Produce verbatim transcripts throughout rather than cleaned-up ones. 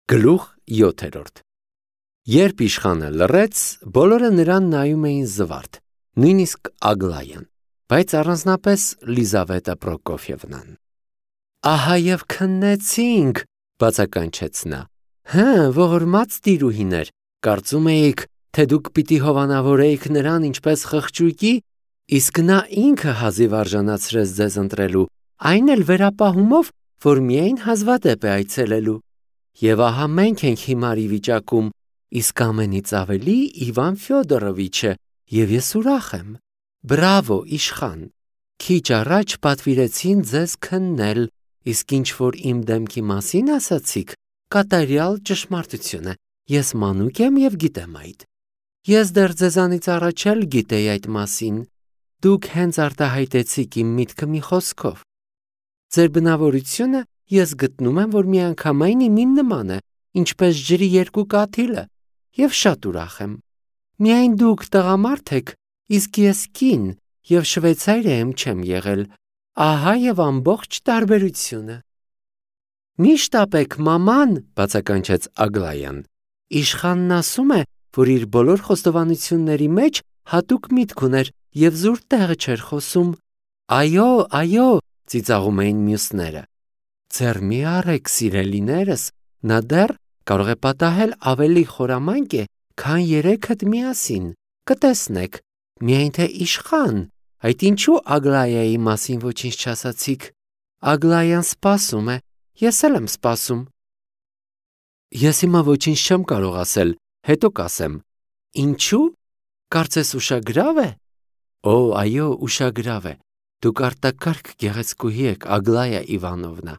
Գլուխ յոթերորդ Երբ իշխանը լռեց, բոլորը նրան նայում էին զվարթ, նույնիսկ Ագլայան, բայց առանձնապես Լիզավետը Պրոկոֆիևնան։ Ահա և քննեցինք, բացականչեց նա։ Հը, ողորմած տիրուհիներ, կարծում էիք, թե դուք պիտի հովանավորեիք նրան ինչպես խղճուկի, իսկ նա ինքը հազիվ արժանացրեց ձեզ ընտրելու, այն էլ վերապահումով, որ միայն հազվադեպ է այցելելու։ Եվ ահա մենք ենք հիմարի վիճակում, իսկ ամենից ավելի Իվան Ֆյոդորովիչը, և ես ուրախ եմ։ Բրավո, իշխան։ Քիչ առաջ պատվիրեցին ձեզ քննել, իսկ ինչ որ իմ դեմքի մասին ասացիք, կատարյալ ճշմարտություն է։ Ես մանուկ եմ և գիտեմ այդ։ Ես դեռ ձեզանից առաջ էլ գիտեի այդ մասին։ Դուք հենց արտահայտեցիք իմ միտքը մի խոսքով։ Ձեր բնավորությունը ես գտնում եմ, որ միանգամայն իմին նման է, ինչպես ջրի երկու կաթիլը, և շատ ուրախ եմ։ Միայն դուք տղամարդ եք, իսկ ես կին, և շվեյցարիայում չեմ եղել։ Ահա և ամբողջ տարբերությունը։ Մի շտապեք, մաման, բացականչեց Ագլայան։ Իշխանն ասում է, որ իր բոլոր խոստովանությունների մեջ հատուկ միտք ուներ և զուր տեղը չէր խոսում։ Այո, այո, ծիծաղում էին մյուսները։ Ձեռ մի առեք, սիրելիներս, նա դեռ կարող է պատահել ավելի խորամանկ է, քան երեքդ միասին, կտեսնեք, միայն թե իշխան, այդ ինչու Ագլայայի մասին ոչինչ չասացիք։ Ագլայան սպասում է, ես էլ եմ սպասում։ Ես հիմա ոչինչ չեմ կարող ասել, հետո կասեմ։ Ինչու՞։ Կարծես ուշագրավ է։ Օ, այո, ուշագրավ է։ Դուք արտակարգ գեղեցկուհի եք, Ագլայա Իվանովնա։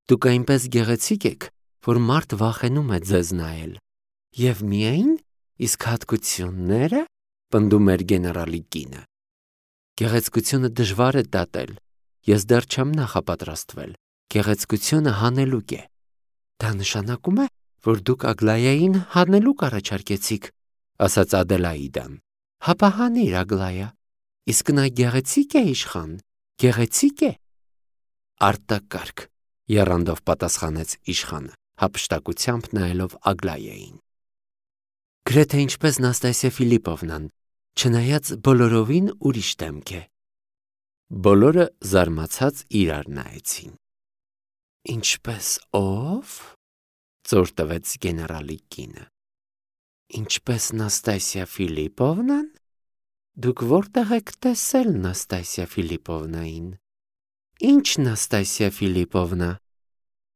Դուք այնպես գեղեցիկ եք, որ մարդ վախենում է ձեզ նայել։ Եվ միայն, իսկ հատկությունները, պնդում էր գեներալի կինը։ Գեղեցկությունը դժվար է դատել։ Ես դեռ չեմ նախապատրաստվել։ Գեղեցկությունը հանելուկ է։ Դա նշանակում է, որ դուք Ագլայային հանելուկ առաջարկեցիք, ասաց Ադելաիդան։ Հապա հանիր, Ագլայա։ Իսկ նա գեղեցիկ է, իշխան, գեղեցիկ է։ Արտակարգ, եռանդով պատասխանեց իշխանը, հափշտակությամբ նայելով Ագլայային։ Գրեթե ինչպես Նաստասիա Ֆիլիպովնան, չնայած բոլորովին ուրիշ դեմք է։ Բոլորը զարմացած իրար նայեցին։ Ինչպես ով։ Ծոր տվեց գեներալի կինը։ Ինչպես Նաստասիա Ֆիլիպովնան։ Դուք որտեղ եք տեսել Նաստասիա Ֆիլիպովնային։ Ինչ Նաստասիա Ֆիլիպովնա։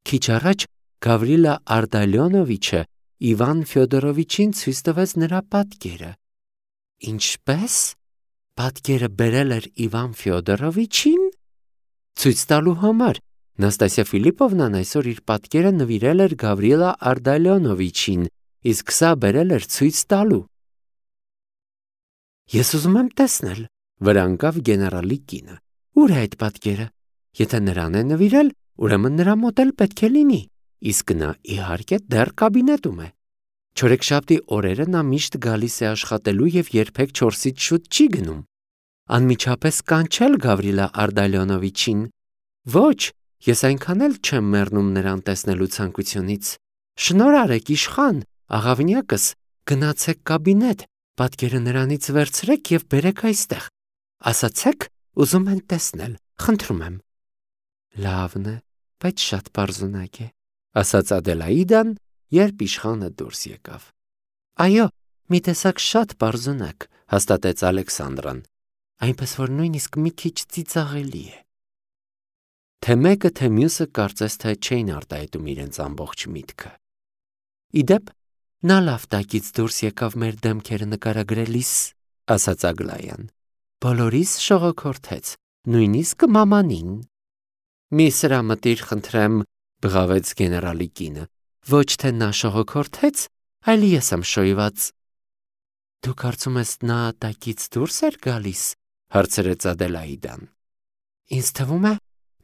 Քիչ առաջ Գավրիլա Արտալյոնովիչը Իվան Ֆյոդորովիչին ցույց տվեց նրա պատկերը։ Ինչպես։ Պատկերը բերել էր Իվան Ֆյոդորովիչին։ Ցույց տալու համար Նաստասիա Ֆիլիպովնան այսօր իր պատկերը նվիրել էր Գավրիլա Արտալյոնովիչին, իսկ սա բերել էր ցույց տալու։ Ես ուզում եմ տեսնել, վրա ընկավ գեներալի կինը։ Ուր է այդ պատկերը։ Եթե նրան է նվիրել, ուրեմն նրա մոտ էլ պետք է լինի, իսկ նա իհարկե դեռ կաբինետում է։ Չորեքշաբթի օրերը նա միշտ գալիս է աշխատելու և երբեք չորսից շուտ չի գնում։ Անմիջապես կանչել Գավրիլա Արտալյոնովիչին։ Ոչ, ես այնքան էլ չեմ մեռնում նրան տեսնելու ցանկությունից։ Շնորհ արեք, իշխան, աղավնյակս, գնացեք կաբինետ, պատկերը նրանից վերցրեք և բերեք այստեղ։ Ասացեք, ուզում են տեսնել, խնդրում եմ։ Լավն է, բայց շատ պարզունակ է, ասաց Ադելաիդան, երբ իշխանը դուրս եկավ։ Այո, մի տեսակ շատ պարզունակ, հաստատեց Ալեքսանդրան, այնպես որ նույնիսկ մի քիչ ծիծաղելի է։ Թե մեկը, թե մյուսը կարծես թե չէին արտահայտում իրենց ամբողջ միտքը։ Իդեպ, նա լավ տակից դուրս եկավ մեր դեմքերը նկարագրելիս, ասաց Ագլայան։ Բոլորիս շողոքորթեց, նույնիսկ մամանին։ Մի սրամտիր խնդրեմ, բղավեց գեներալի կինը, ոչ թե նա շողոքորթեց, այլ ես եմ շոյված։ Դու կարծում ես նա տակից դուրս էր գալիս, հարցրեց Ադելաիդան։ Ինձ թվում է,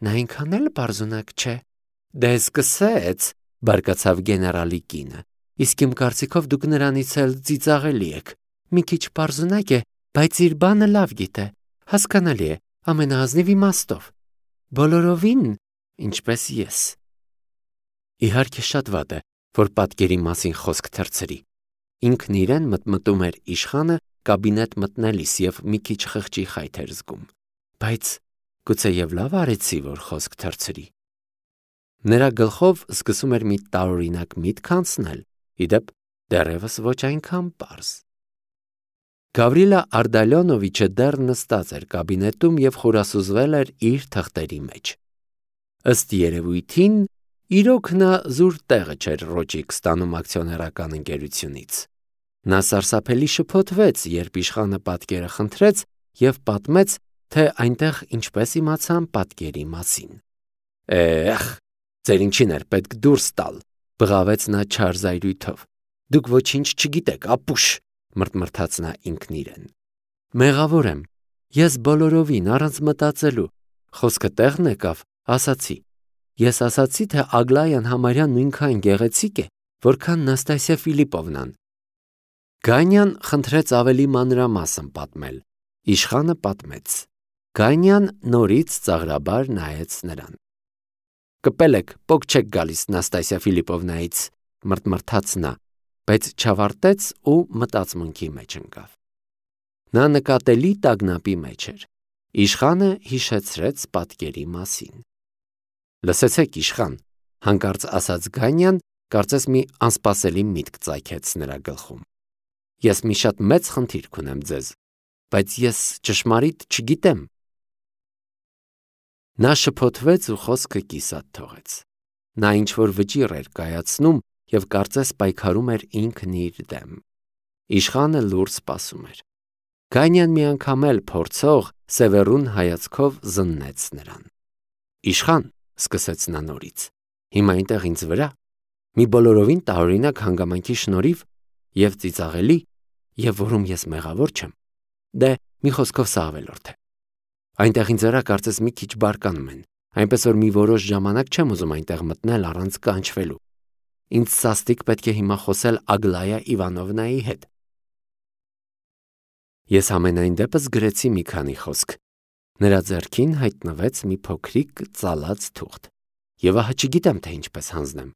նա այնքան էլ պարզունակ չէ։ Դե սկսեց, բարկացավ գեներալի կինը, իսկ իմ կարծիքով դուք նրանից էլ ծիծաղելի եք։ Մի քիչ պարզունակ է, բայց իր բանը լավ գիտե, հասկանալի է, ամենաազնիվ իմաստով։ Բոլորովին, ինչպես ես։ Իհարկե շատ վատ է, որ պատկերի մասին խոսք թռցրի։ Ինքն իրեն մտմտում էր իշխանը կաբինետ մտնելիս և մի քիչ խղճի խայթ էր զգում, բայց գուցեև լավ արեցի, որ խոսք թռցրի։ Նրա գլխով սկսում էր մի տարօրինակ միտք անցնել, ի դեպ դեռևս ոչ այնքան պարզ։ Գավրիլա Արդալյոնովիչը դեռ նստած էր կաբինետում և խորասուզվել էր իր թղթերի մեջ։ Ըստ երևույթին, իրոք նա զուր տեղը չէր ռոճիկ ստանում ակցիոներական ընկերությունից։ Նա սարսափելի շփոթվեց, երբ իշխանը պատկերը խնդրեց և պատմեց, թե այնտեղ ինչպես իմացան պատկերի մասին։ Էխ, ձեր ինչին էր պետք դուրս տալ, բղավեց նա չար զայրույթով։ Դուք ոչինչ չգիտեք, ապուշ, մրթմրթաց նա ինքն իրեն։ Մեղավոր եմ, ես բոլորովին առանց մտածելու, խոսքը տեղն եկավ, ասացի։ Ես ասացի, թե Ագլայան համարյա նույնքան գեղեցիկ է, որքան Նաստասիա Ֆիլիպովնան։ Գանյան խնդրեց ավելի մանրամասն պատմել։ Իշխանը պատմեց։ Գանյան նորից ծաղրաբար նայեց նրան։ Կպել եք, պոկ չեք գալիս Նաստասիա Ֆիլիպովնայից, մրթմրթաց նա, բայց չավարտեց ու մտածմունքի մեջ ընկավ։ Նա նկատելի տագնապի մեջ էր։ Իշխանը հիշեցրեց պատկերի մասին։ Լսեցեք, իշխան, հանկարծ ասաց Գանյան, կարծես մի անսպասելի միտք ծագեց նրա գլխում։ Ես մի շատ մեծ խնդիր կունեմ ձեզ, բայց ես ճշմարիտ չգիտեմ։ Նա շփոթվեց ու խոսքը կիսատ թողեց։ Նա ինչ-որ վճիռ էր կայացնում և կարծես պայքարում էր ինքն իր դեմ։ Իշխանը լուռ սպասում էր։ Գանյան մի անգամ էլ փորձող, սևեռուն հայացքով զննեց նրան։ Իշխան, սկսեց նա նորից, հիմա այնտեղ ինձ վրա, մի բոլորովին տարօրինակ հանգամանքի շնորհիվ և ծիծաղելի, և որում ես մեղավոր չեմ։ Դե, մի խոսքով սա ավելորդ է։ Այնտեղ ինձ վրա կարծես մի քիչ բարկանում են, այնպես որ մի որոշ ժամանակ չեմ ուզում այնտեղ մտնել առանց կանչվելու։ Ինձ սաստիկ պետք է հիմա խոսել Ագլայա Իվանովնայի հետ։ Ես ամենայն դեպս գրեցի մի քանի խոսք։ Նրա ձեռքին հայտնվեց մի փոքրիկ ծալած թուղթ։ Եվ ահա չգիտեմ, թե ինչպես հանձնեմ։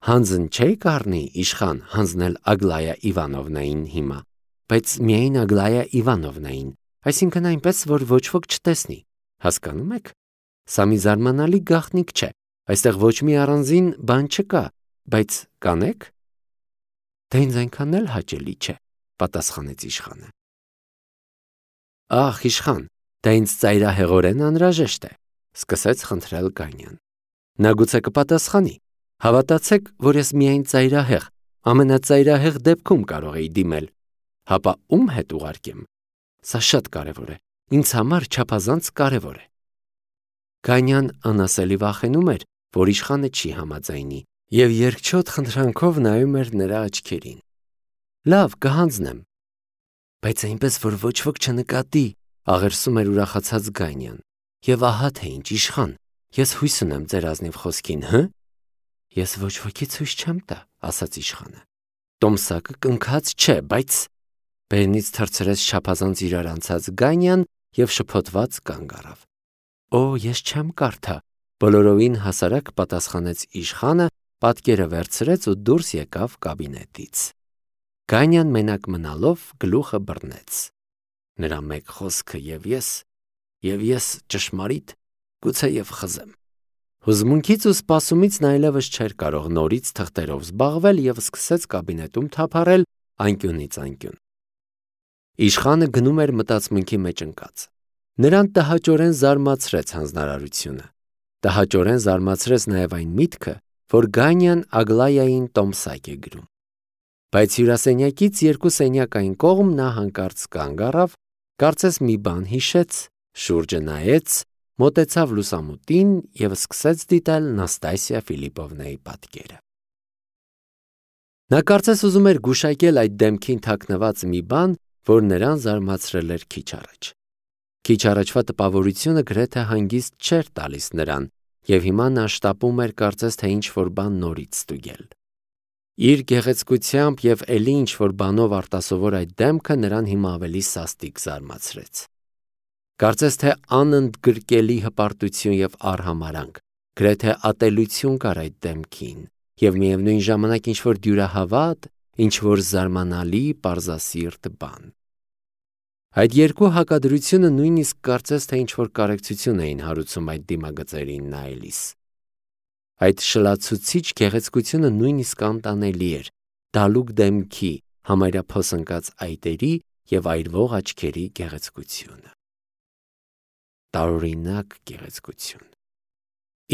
Հանձն չէի կառնի, իշխան, հանձնել Ագլայա Իվանովնային հիմա, բայց միայն Ագլայա Իվանովնային, այսինքն այնպես, որ ոչ ոք չտեսնի։ Հասկանում եք։ Սա մի զարմանալի գաղտնիք չէ։ Այստեղ ոչ մի առանձին բան չկա, բայց կանեք։ Դա ինձ այնքան էլ հաճելի չէ, պատասխանեց իշխանը։ Ախ, իշխան, դա ինձ ծայրահեղորեն անհրաժեշտ է, սկսեց խնդրել Գանյան։ Նա գուցե կպատասխանի։ Հավատացեք, որ ես միայն ծայրահեղ, ամենածայրահեղ դեպքում կարող էի դիմել։ Հապա ում հետ ուղարկեմ։ Սա շատ կարևոր է, ինձ համար չափազանց կարևոր է։ Գանյան անասելի վախենում էր, որ իշխանը չի համաձայնի, և երկչոտ խնդրանքով նայում էր նրա աչքերին։ Լավ, կհանձնեմ։ Բայց այնպես, որ ոչ ոք չնկատի, աղերսում էր ուրախացած Գանյան։ Եվ ահա թե ինչ, իշխան, ես հույս ունեմ ձեր ազնիվ խոսքին, հը։ Ես ոչ ոքից հույս չեմ տա, ասաց իշխանը։ Տոմսակը կնքած չէ, բայց… Բերնից թռցրեց չափազանց իրար անցած Գանյան և շփոթված կանգ առավ։ Օ, ես չեմ կարդա, բոլորովին հասարակ պատասխանեց իշխանը, պատկերը վերցրեց ու դուրս եկավ կաբինետից։ Գանյան մենակ մնալով գլուխը բռնեց։ Նրա մեկ խոսքը և ես, և ես ճշմարիտ, գուցեև խզեմ։ Հուզմունքից ու սպասումից նա այլևս չէր կարող նորից թղթերով զբաղվել և սկսեց կաբինետում թափառել անկյունից անկյուն։ Իշխանը գնում էր մտածմունքի մեջ ընկած։ Նրան տհաճորեն զարմացրեց հանձնարարությունը։ Տհաճորեն զարմացրեց նաև այն միտքը, որ Գանյան Ագլայային տոմսակ է գրում։ Բայց հյուրասենյակից երկու սենյակ այն կողմ նա հանկարծ կանգ առավ, կարծես մի բան հիշեց, շուրջը նայեց, մոտեցավ լուսամուտին և սկսեց դիտել Նաստասիա Ֆիլիպովնայի պատկերը։ Նա կարծես ուզում էր գուշակել այդ դեմքին թաքնված մի բան, որ նրան զարմացրել էր քիչ առաջ։ Քիչ առաջվա տպավորությունը գրեթե հանգիստ չէր տալիս նրան, և հիմա նա շտապում էր կարծես թե ինչ-որ բան նորից ստուգել։ Իր գեղեցկությամբ և էլի ինչ-որ բանով արտասովոր այդ դեմքը նրան հիմա ավելի սաստիկ զարմացրեց։ Կարծես թե անընդգրկելի հպարտություն և արհամարհանք, գրեթե ատելություն կար այդ դեմքին, և միևնույն ժամանակ ինչ-որ դյուրահավատ, ինչ-որ զարմանալի պարզասիրտ բան։ Այդ երկու հակադրությունը նույնիսկ կարծես թե ինչ-որ կարեկցություն էին հարուցում այդ դիմագծերին նայելիս։ Այդ շլացուցիչ գեղեցկությունը նույնիսկ անտանելի էր դալուկ դեմքի, համարյա փոսընկած այտերի և այրվող աչքերի գեղեցկությունը։ Տարօրինակ գեղեցկություն։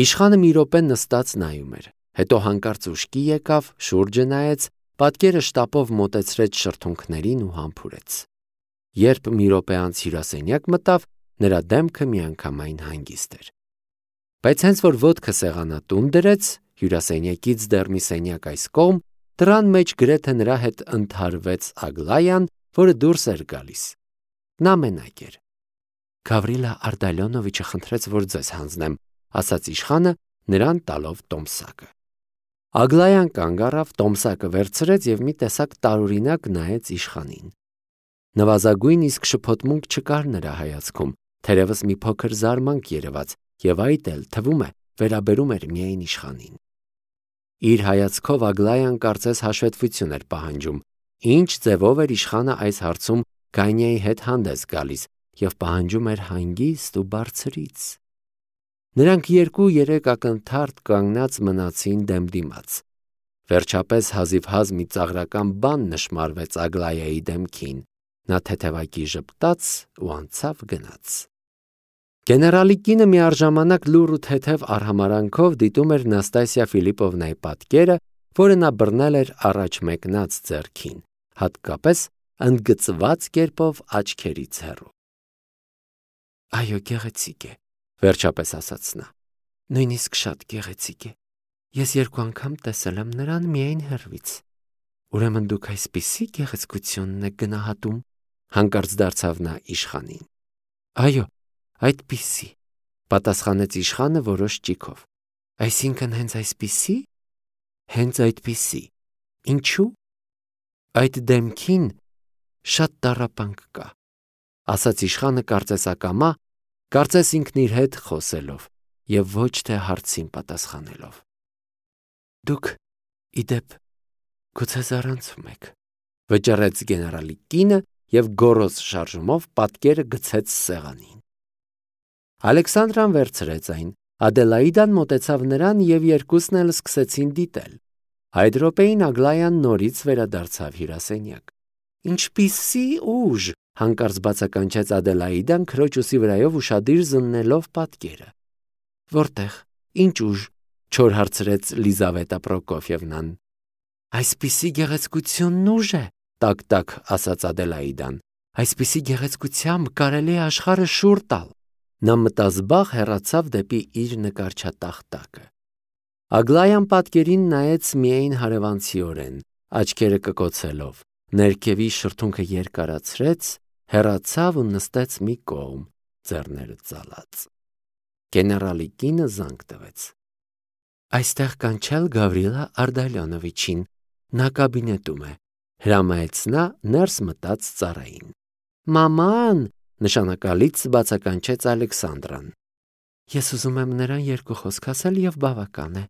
Իշխանը մի րոպե նստած նայում էր, հետո հանկարծ ուշքի եկավ, շուրջը նայեց, պատկերը շտապով մոտեցրեց շրթունքներին ու համբուրեց։ Երբ մի րոպե անց հյուրասենյակ մտավ, նրա դեմքը միանգամայն հանգիստ էր։ Բայց հենց որ ոտքը սեղանատուն դրեց, հյուրասենյակից դեռ մի սենյակ այս կողմ, դռան մեջ գրեթե նրա հետ ընդհարվեց Ագլայան, որը դուրս էր գալիս։ Նա մենակ էր։ Գավրիլա Արտալյոնովիչը խնդրեց, որ ձեզ հանձնեմ, ասաց իշխանը, նրան տալով տոմսակը։ Ագլայան կանգ առավ, տոմսակը վերցրեց և մի տեսակ տարօրինակ նայեց իշխանին։ Նվազագույն իսկ շփոթմունք չկար նրա հայացքում, թերևս մի փոքր զարմանք երևաց, և այդ էլ, թվում է, վերաբերում էր միայն իշխանին։ Իր հայացքով Ագլայան կարծես հաշվետվություն էր պահանջում, ինչ ձևով էր իշխանը այս հարցում Գանյայի հետ հանդես գալիս և պահանջում էր հանգիստ ու բարձրից։ Նրանք երկու-երեք ակնթարթ կանգնած մնացին դեմդիմաց։ Վերջապես հազիվհազ մի ծաղրական բան նշմարվեց Ագլայայի դեմքին, նա թեթևակի ժպտաց ու անցավ գնաց։ Գեներալի կինը միառժամանակ լուռ ու թեթև արհամարանքով դիտում էր Նաստասիա Ֆիլիպովնայի պատկերը, որը նա բռնել էր առաջ մեկնած ձեռքին, հատկապես ընդգծված կերպով աչքերից հեռու։ Այո, գեղեցիկ է, վերջապես ասաց նա, նույնիսկ շատ գեղեցիկ է։ Ես երկու անգամ տեսել եմ նրան միայն հեռվից։ Ուրեմն դուք այսպիսի գեղեցկությունն եք գնահատում, հանկարծ դարձավ նա իշխանին։ Այո, այդպիսի, պատասխանեց իշխանը որոշ ճիգով։ Այսինքն հենց այսպիսի։ Հենց այդպիսի։ Ինչու։ Այդ դեմքին շատ տառապանք կա, ասաց իշխանը կարծես ակամա, կարծես ինքն իր հետ խոսելով և ոչ թե հարցին պատասխանելով։ Դուք, իդեպ, գուցե զարանցում եք, վճռեց գեներալի կինը և գոռոզ շարժումով պատկերը գցեց սեղանին։ Ալեքսանդրան վերցրեց այն, Ադելաիդան մոտեցավ նրան և երկուսն էլ սկսեցին դիտել։ Այդ րոպեին Ագլայան նորից վերադարձավ հյուրասենյակ։ Ինչպիսի ուժ, հանկարծ բացականչեց Ադելաիդան քրոջ ուսի վրայով ուշադիր զննելով պատկերը։ Որտե՞ղ, ինչ ուժ, չոր հարցրեց Լիզավետա Պրոկոֆիևնան։ Այսպիսի գեղեցկությունն ուժ է, տակ-տակ ասաց Ադելաիդան։ Այսպիսի գեղեցկությամբ կարելի է աշխարհը շուռ տալ։ Նա մտազբաղ հեռացավ դեպի իր նկարչատախտակը։ Ագլայան պատկերին նայեց միայն հարևանցիորեն, աչքերը կկոցելով, ներքևի շրթունքը երկարացրեց, հեռացավ ու նստեց մի կողմ, ձեռները ծալած։ Գեներալի կինը զանգ տվեց։ Այստեղ կանչել Գավրիլա Արտալյոնովիչին, նա կաբինետում է, հրամայեց նա ներս մտած ծառային։ Մաման, նշանակալից բացականչեց Ալեքսանդրան։ Ես ուզում եմ նրան երկու խոսք ասել և բավական է։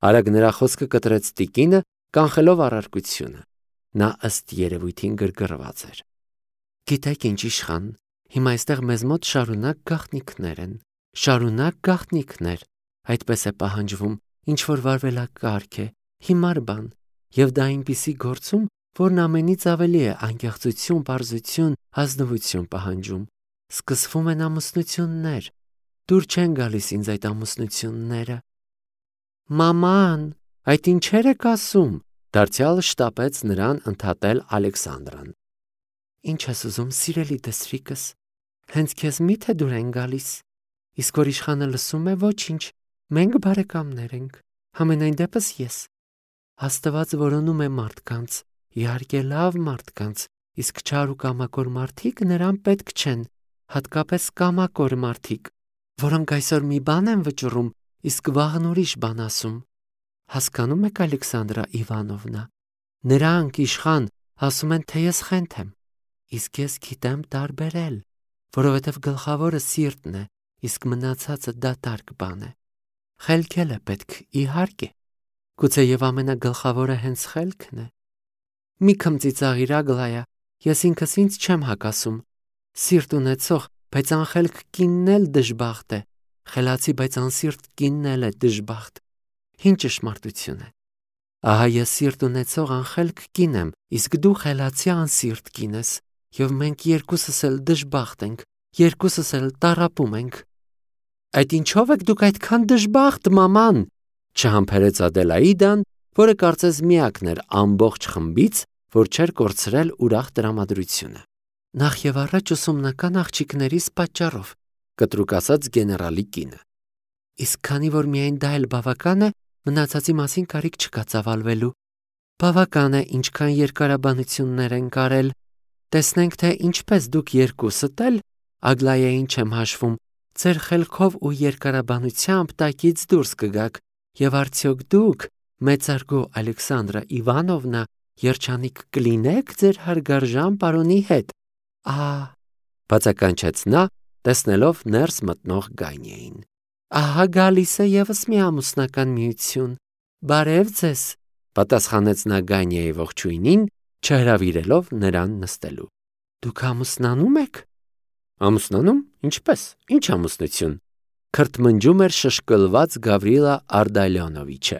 Արագ նրա խոսքը կտրեց տիկինը, կանխելով առարկությունը։ Նա ըստ երևույթին գրգռված էր։ Գիտեք ինչ, իշխան, հիմա այստեղ մեզ մոտ շարունակ գաղտնիքներ են, շարունակ գաղտնիքներ, այդպես է պահանջվում, ինչ որ վարվելակարգ է, հիմար բան, և դա այնպիսի գործում, որն ամենից ավելի է անկեղծություն, պարզություն, ազնվություն պահանջում։ Սկսվում են ամուսնություններ, դուր չեն գալիս ինձ այդ ամուսնությունները։ Մաման, այդ ինչեր եք ասում, դարձյալ շտապեց նրան ընդհատել Ալեքսանդրան։ Ինչ ես ուզում, սիրելի դսրիկս, հենց քեզ միթե դուր են գալիս, իսկ որ իշխանը լսում է, ոչինչ, մենք բարեկամներ ենք, համենայն դեպս ես։ Աստված որոնում է մարդկանց, իհարկե լավ մարդկանց, իսկ չար ու կամակոր մարդիկ նրան պետք չեն, հատկապես կամակոր մարդիկ, որոնք այսօր մի բան են վճռում, իսկ վաղն ուրիշ բան ասում։ Հասկանում եք, Ալեքսանդրա Իվանովնա, նրանք իշխան ասում են, թե ես խենթ եմ, իսկ ես գիտեմ տարբերել, որովհետև գլխավորը սիրտն է, իսկ մնացածը դատարկ բան է։ Խելքել է պետք, իհարկե, Գուցե եւ ամենագլխավորը հենց խելքն է։ Մի քմծիծաղիր Ագլայա, ես ինքս ինձ չեմ հակասում։ Սիրտ ունեցող, բայց անխելք կինն էլ դժբախտ է։ Խելացի, բայց անսիրտ կինն էլ է դժբախտ։ Ինչ ճշմարտություն է։ Ահա ես սիրտ ունեցող անխելք կին եմ, իսկ դու խելացի անսիրտ կին ես, եւ մենք երկուսս էլ դժբախտ ենք, երկուսս էլ տառապում ենք։ Այդ ինչով եք դուք այդքան դժբախտ, մաման, չհամբերեց Ադելաիդան, որը կարծես միակն էր ամբողջ խմբից, որ չէր կորցրել ուրախ տրամադրությունը։ Նախ եւ առաջ ուսումնական աղջիկներիս պատճառով, կտրուկ ասաց գեներալի կինը։ Իսկ քանի որ միայն դա էլ բավական է, մնացածի մասին կարիք չկա ծավալվելու։ Բավական է, ինչքան երկարաբանություններ են կարել։ Տեսնենք, թե ինչպես դուք երկուսդ էլ, Ագլայային չեմ հաշվում, ձեր խելքով ու երկարաբանությամբ տակից դուրս կգաք, եւ արդյոք դուք, մեծարգո Ալեքսանդրա Իվանովնա, երջանիկ կլինեք ձեր հարգարժան պարոնի հետ։ Ահա, բացականչեց նա, տեսնելով ներս մտնող Գանյային։ Ահա գալիս է եւս մի ամուսնական միություն։ Բարև ձեզ, պատասխանեց նա Գանյայի ողջույնին, չհրավիրելով նրան նստելու։ Դուք ամուսնանում եք։ Ամուսնանում, ինչպես, ինչ ամուսնություն։ Քրթմնջում էր շշկլված Գավրիլա Արդալյոնովիչը։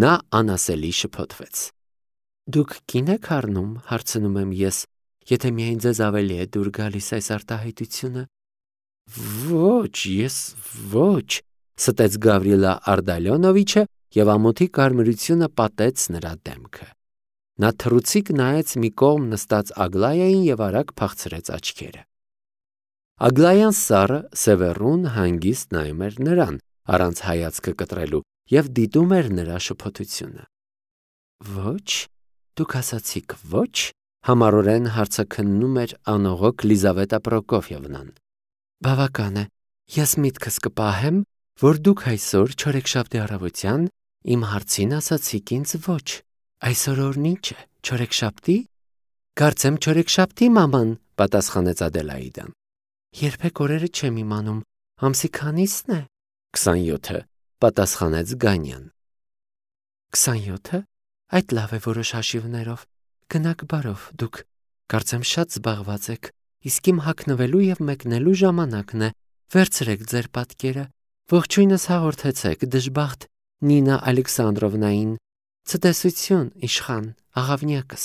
Նա անասելի շփոթվեց։ Դուք կին եք առնում, հարցնում եմ ես, եթե միայն ձեզ ավելի է դուր գալիս այս արտահայտությունը։ Ոչ, ես ոչ, ստեց Գավրիլա Արդալյոնովիչը եւ ամոթի կարմրությունը պատեց նրա դեմքը։ Նա թռուցիկ նայեց մի կողմ նստած Ագլայային եւ արագ փախցրեց աչքերը։ Ագլայան սառը սևեռուն հանգիստ նայում էր նրան, առանց հայացքը կտրելու, եւ դիտում էր նրա շփոթությունը։ Ոչ, դուք ասացիք ոչ, համառորեն հարցաքննում էր անողոք Լիզավետա Պրոկոֆիևնան։ Բավական է, ես միտքս կպահեմ, որ դուք այսօր չորեքշաբթի առավոտյան իմ հարցին ասացիք ինձ ոչ։ Այսօր օրն ինչ է, չորեքշաբթի։ Կարծեմ չորեքշաբթի, մաման, պատասխանեց Ադելաիդան։ Երբեք օրերը չեմ իմանում, ամսի քանիսն է։ քսանյոթը, պատասխանեց Գանյան։ քսանյոթը, այդ լավ է որոշ հաշիվներով։ Գնաք բարով դուք, կարծեմ շատ զբաղված եք, իսկ իմ հագնվելու եւ մեկնելու ժամանակն է։ Վերցրեք ձեր պատկերը, ողջույնս հաղորդեցեք դժբախտ Նինա Ալեքսանդրովնային։ Ցտեսություն, իշխան, աղավնյակս։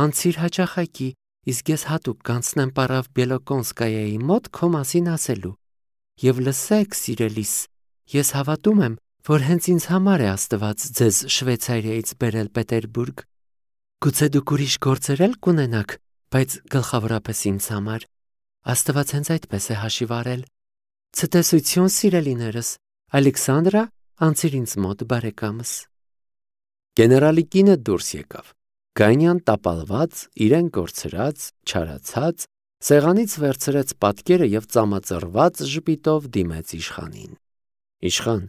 Անցիր հաճախակի, իսկ ես հատուկ կանցնեմ Պարավ Բելոկոնսկայայի մոտ քո մասին ասելու։ Եվ լսեք, սիրելիս, ես հավատում եմ, որ հենց ինձ համար է Աստված ձեզ Շվեյցարիայից բերել Պետերբուրգ։ Գուցե դուք ուրիշ գործեր էլ կունենաք, բայց գլխավորապես ինձ համար։ Աստված հենց այդպես է հաշիվ արել։ Ցտեսություն, սիրելիներս, Ալեքսանդրա, անցիր ինձ մոտ բարեկամս։ Գեներալի կինը դուրս եկավ։ Գանյան տապալված, իրեն կորցրած, չարացած, սեղանից վերցրեց պատկերը եւ ծամածրված ժպիտով դիմեց իշխանին։ Իշխան,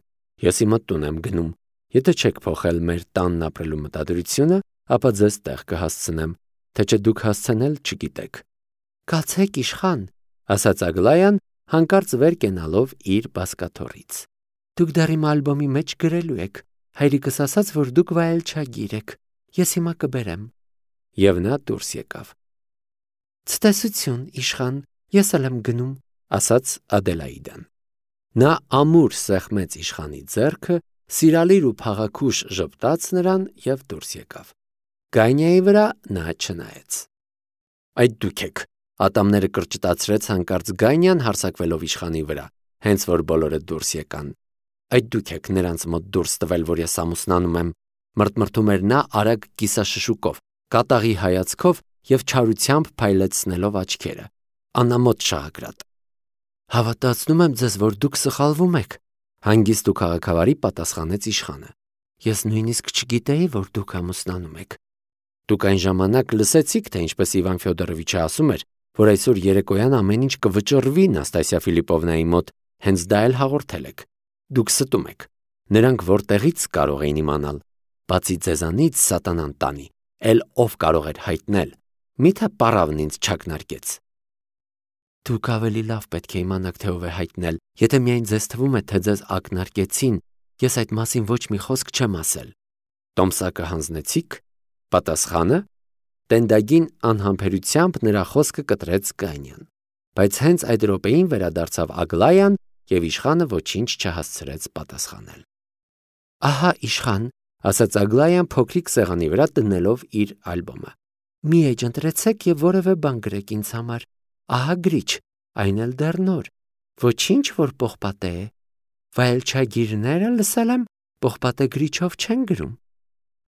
ես իմը տուն եմ գնում։ Եթե չեք փոխել մեր տանն ապրելու մտադրությունը, ապա ձեզ տեղ կհասցնեմ, թե չէ դուք հասցնել չգիտեք։ Կացեք, իշխան, ասաց Ագլայան, հանկարծ վեր կենալով իր բազկաթոռից։ Դուք դեռ իմ ալբոմի մեջ գրելու եք։ Հայրիկս ասաց, որ դուք վայելչագիր եք։ Ես հիմա կբերեմ։ Եվ նա դուրս եկավ։ Ցտեսություն, իշխան, ես էլ եմ գնում, ասաց Ադելաիդան։ Նա ամուր սեղմեց իշխանի ձեռքը, սիրալիր ու փաղաքուշ ժպտաց նրան եւ դուրս եկավ։ Գանյայի վրա նա չնայեց։ Այդ դուք եք, ատամները կրճտացրեց հանկարծ Գանյան հարձակվելով իշխանի վրա, հենց որ բոլորը դուրս եկան։ Այդ դուք եք նրանց մոտ դուրս տվել, որ ես ամուսնանում եմ, մրթմրթում էր նա արագ կիսաշշուկով, կատաղի հայացքով եւ չարությամբ փայլեցնելով աչքերը։ Անամոթ շաղակրատ։ Հավատացնում եմ ձեզ, որ դուք սխալվում եք, հանգիստ ու քաղաքավարի պատասխանեց իշխանը։ Ես նույնիսկ չգիտեի, որ դուք ամուսնանում եք։ Դուք այն ժամանակ լսեցիք, թե ինչպես Իվան Ֆյոդորովիչը ասում էր, որ այսօր երեկոյան ամեն ինչ կվճռվի Նաստասիա Ֆիլիպովնայի մոտ, հենց դա էլ հաղորդել եք։ Դուք ստում եք։ Նրանք որտեղից կարող էին իմանալ։ Բացի ձեզանից սատանան տանի, էլ ով կարող էր հայտնել։ Միթե պարավն ինձ չակնարկեց։ Դուք ավելի լավ պետք է իմանաք, թե ով է հայտնել, եթե միայն ձեզ թվում է, թե ձեզ ակնարկեցին, ես այդ մասին ոչ մի խոսք չեմ ասել։ Տոմսակը հանձնեցիք։ Պատասխանը Տենդագին անհամբերությամբ նրա խոսքը կտրեց Գանյան, բայց հենց այդ րոպեին վերադարձավ Ագլայան և իշխանը ոչինչ չհասցրեց պատասխանել։ Ահա իշխան, ասաց Ագլայան փոքրիկ սեղանի վրա դնելով իր ալբոմը։ Մի էջ ընտրեցեք և որևէ բան գրեք ինձ համար։ Ահա գրիչ, այն էլ դեռ նոր, ոչինչ որ պողպատե է։ Վայելչագիրները լսել եմ, պողպատե գրիչով չեն գրում։